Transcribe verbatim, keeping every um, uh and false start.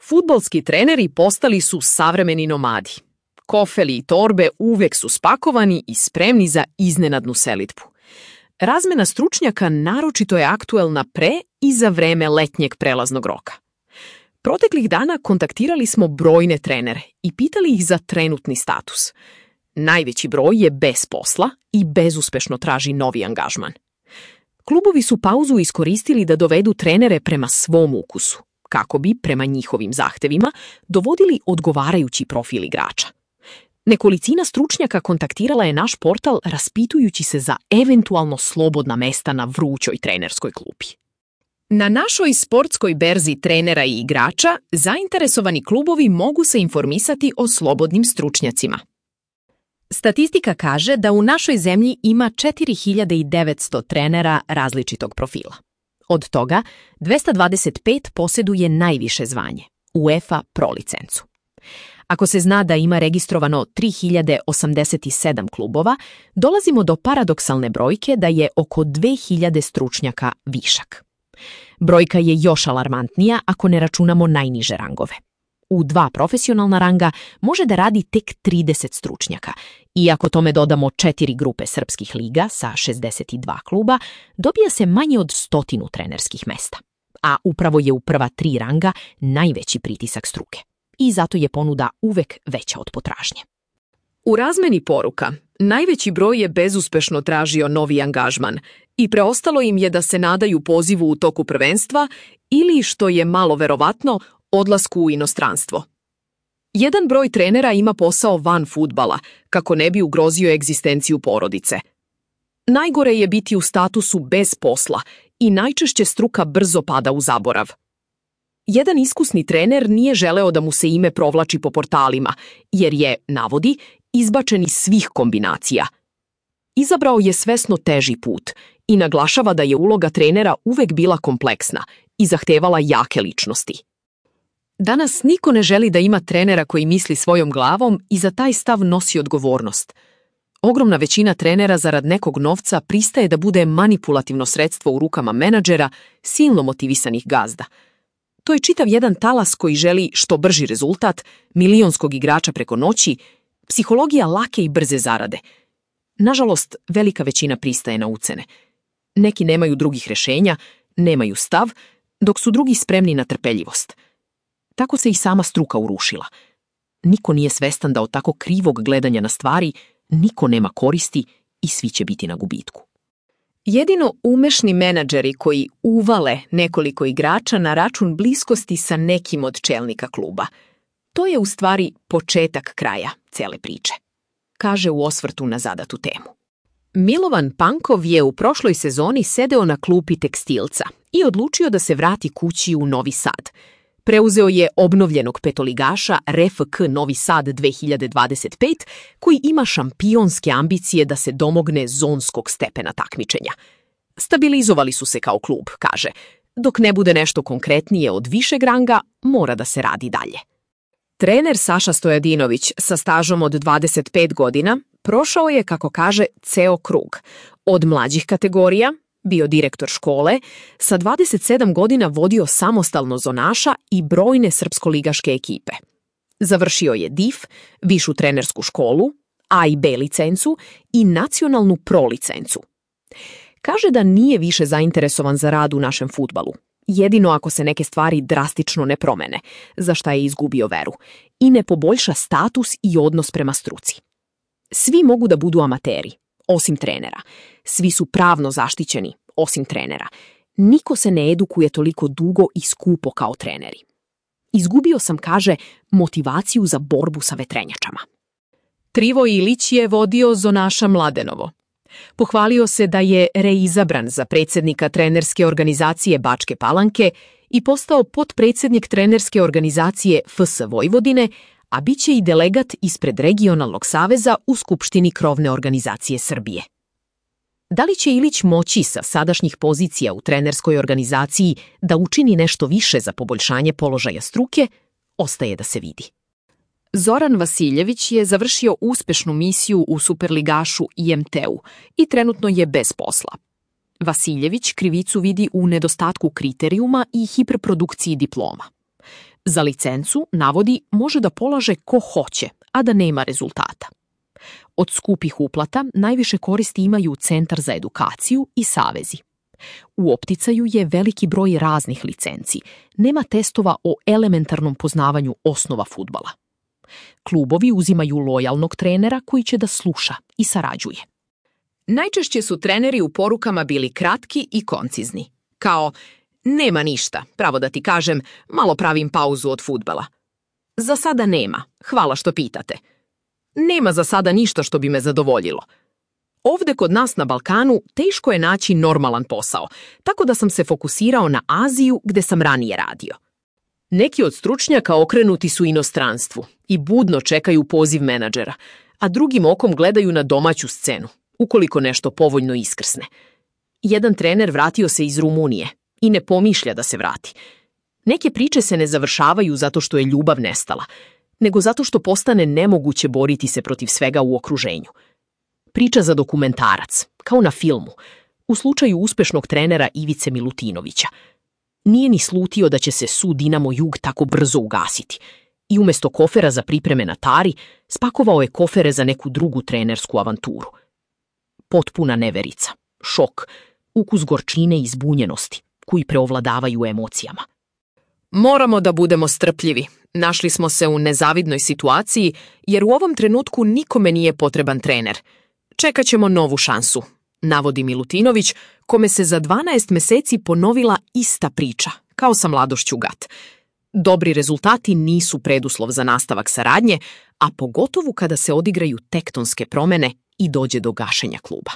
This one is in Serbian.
Fudbalski treneri postali su savremeni nomadi. Kofeli i torbe uvek su spakovani i spremni za iznenadnu selidbu. Razmena stručnjaka naročito je aktuelna pre i za vreme letnjeg prelaznog roka. Proteklih dana kontaktirali smo brojne trenere i pitali ih za trenutni status. Najveći broj je bez posla i bezuspešno traži novi angažman. Klubovi su pauzu iskoristili da dovedu trenere prema svom ukusu, kako bi, prema njihovim zahtevima, dovodili odgovarajući profil igrača. Nekolicina stručnjaka kontaktirala je naš portal raspitujući se za eventualno slobodna mesta na vrućoj trenerskoj klupi. Na našoj sportskoj berzi trenera i igrača zainteresovani klubovi mogu se informisati o slobodnim stručnjacima. Statistika kaže da u našoj zemlji ima četiri hiljade devetsto trenera različitog profila. Od toga dvesta dvadeset pet posjeduje najviše zvanje, UEFA Pro licencu. Ako se zna da ima registrovano tri hiljade osamdeset sedam klubova, dolazimo do paradoksalne brojke da je oko dve hiljade stručnjaka višak. Brojka je još alarmantnija ako ne računamo najniže rangove. U dva profesionalna ranga može da radi tek trideset stručnjaka i ako tome dodamo četiri grupe srpskih liga sa šezdeset dva kluba, dobija se manje od stotinu trenerskih mesta. A upravo je u prva tri ranga najveći pritisak struke. I zato je ponuda uvek veća od potražnje. U razmeni poruka, najveći broj je bezuspešno tražio novi angažman i preostalo im je da se nadaju pozivu u toku prvenstva ili, što je malo verovatno, odlasku u inostranstvo. Jedan broj trenera ima posao van fudbala, kako ne bi ugrozio egzistenciju porodice. Najgore je biti u statusu bez posla i najčešće struka brzo pada u zaborav. Jedan iskusni trener nije želeo da mu se ime provlači po portalima, jer je, navodi, izbačen iz svih kombinacija. Izabrao je svesno teži put i naglašava da je uloga trenera uvek bila kompleksna i zahtevala jake ličnosti. Danas niko ne želi da ima trenera koji misli svojom glavom i za taj stav nosi odgovornost. Ogromna većina trenera zarad nekog novca pristaje da bude manipulativno sredstvo u rukama menadžera, silno motivisanih gazda. To je čitav jedan talas koji želi što brži rezultat, milionskog igrača preko noći, psihologija lake i brze zarade. Nažalost, velika većina pristaje na ucene. Neki nemaju drugih rešenja, nemaju stav, dok su drugi spremni na trpeljivost. Tako se i sama struka urušila. Niko nije svestan da od tako krivog gledanja na stvari niko nema koristi i svi će biti na gubitku. Jedino umešni menadžeri koji uvale nekoliko igrača na račun bliskosti sa nekim od čelnika kluba. To je u stvari početak kraja cele priče, kaže u osvrtu na zadatu temu. Milovan Pankov je u prošloj sezoni sedeo na klupi Tekstilca i odlučio da se vrati kući u Novi Sad. Preuzeo je obnovljenog petoligaša R F K Novi Sad dve hiljade dvadeset pet, koji ima šampionske ambicije da se domogne zonskog stepena takmičenja. Stabilizovali su se kao klub, kaže. Dok ne bude nešto konkretnije od višeg ranga, mora da se radi dalje. Trener Saša Stojadinović sa stažom od dvadeset pet godina prošao je, kako kaže, ceo krug. Od mlađih kategorija, bio direktor škole, sa dvadeset sedam godina vodio samostalno zonaša i brojne srpsko-ligaške ekipe. Završio je D I F, višu trenersku školu, A i B licencu i nacionalnu pro licencu. Kaže da nije više zainteresovan za rad u našem fudbalu, jedino ako se neke stvari drastično ne promene, za šta je izgubio veru, i ne poboljša status i odnos prema struci. Svi mogu da budu amateri, osim trenera. Svi su pravno zaštićeni, osim trenera. Niko se ne edukuje toliko dugo i skupo kao treneri. Izgubio sam, kaže, motivaciju za borbu sa vetrenjačama. Trivo Ilić je vodio zonaša Mladenovo. Pohvalio se da je reizabran za predsjednika trenerske organizacije Bačke Palanke i postao potpredsjednik trenerske organizacije F S Vojvodine, a bit će i delegat ispred regionalnog saveza u Skupštini krovne organizacije Srbije. Da li će Ilić moći sa sadašnjih pozicija u trenerskoj organizaciji da učini nešto više za poboljšanje položaja struke, ostaje da se vidi. Zoran Vasiljević je završio uspešnu misiju u superligašu I M T-u i trenutno je bez posla. Vasiljević krivicu vidi u nedostatku kriterijuma i hiperprodukciji diploma. Za licencu, navodi, može da polaže ko hoće, a da nema rezultata. Od skupih uplata najviše koristi imaju Centar za edukaciju i savezi. U opticaju je veliki broj raznih licenci. Nema testova o elementarnom poznavanju osnova fudbala. Klubovi uzimaju lojalnog trenera koji će da sluša i sarađuje. Najčešće su treneri u porukama bili kratki i koncizni. Kao, nema ništa, pravo da ti kažem, malo pravim pauzu od fudbala. Za sada nema, hvala što pitate. Nema za sada ništa što bi me zadovoljilo. Ovde kod nas na Balkanu teško je naći normalan posao, tako da sam se fokusirao na Aziju gde sam ranije radio. Neki od stručnjaka okrenuti su inostranstvu i budno čekaju poziv menadžera, a drugim okom gledaju na domaću scenu, ukoliko nešto povoljno iskrsne. Jedan trener vratio se iz Rumunije i ne pomišlja da se vrati. Neke priče se ne završavaju zato što je ljubav nestala, nego zato što postane nemoguće boriti se protiv svega u okruženju. Priča za dokumentarac, kao na filmu, u slučaju uspešnog trenera Ivice Milutinovića. Nije ni slutio da će se sud Dinamo Jug tako brzo ugasiti i umjesto kofera za pripreme na Tari, spakovao je kofere za neku drugu trenersku avanturu. Potpuna neverica, šok, ukus gorčine i zbunjenosti, koji preovladavaju emocijama. Moramo da budemo strpljivi. Našli smo se u nezavidnoj situaciji, jer u ovom trenutku nikome nije potreban trener. Čekat ćemo novu šansu, navodi Milutinović, kome se za dvanaest meseci ponovila ista priča, kao sa mladošću Gat. Dobri rezultati nisu preduslov za nastavak saradnje, a pogotovo kada se odigraju tektonske promene i dođe do gašenja kluba.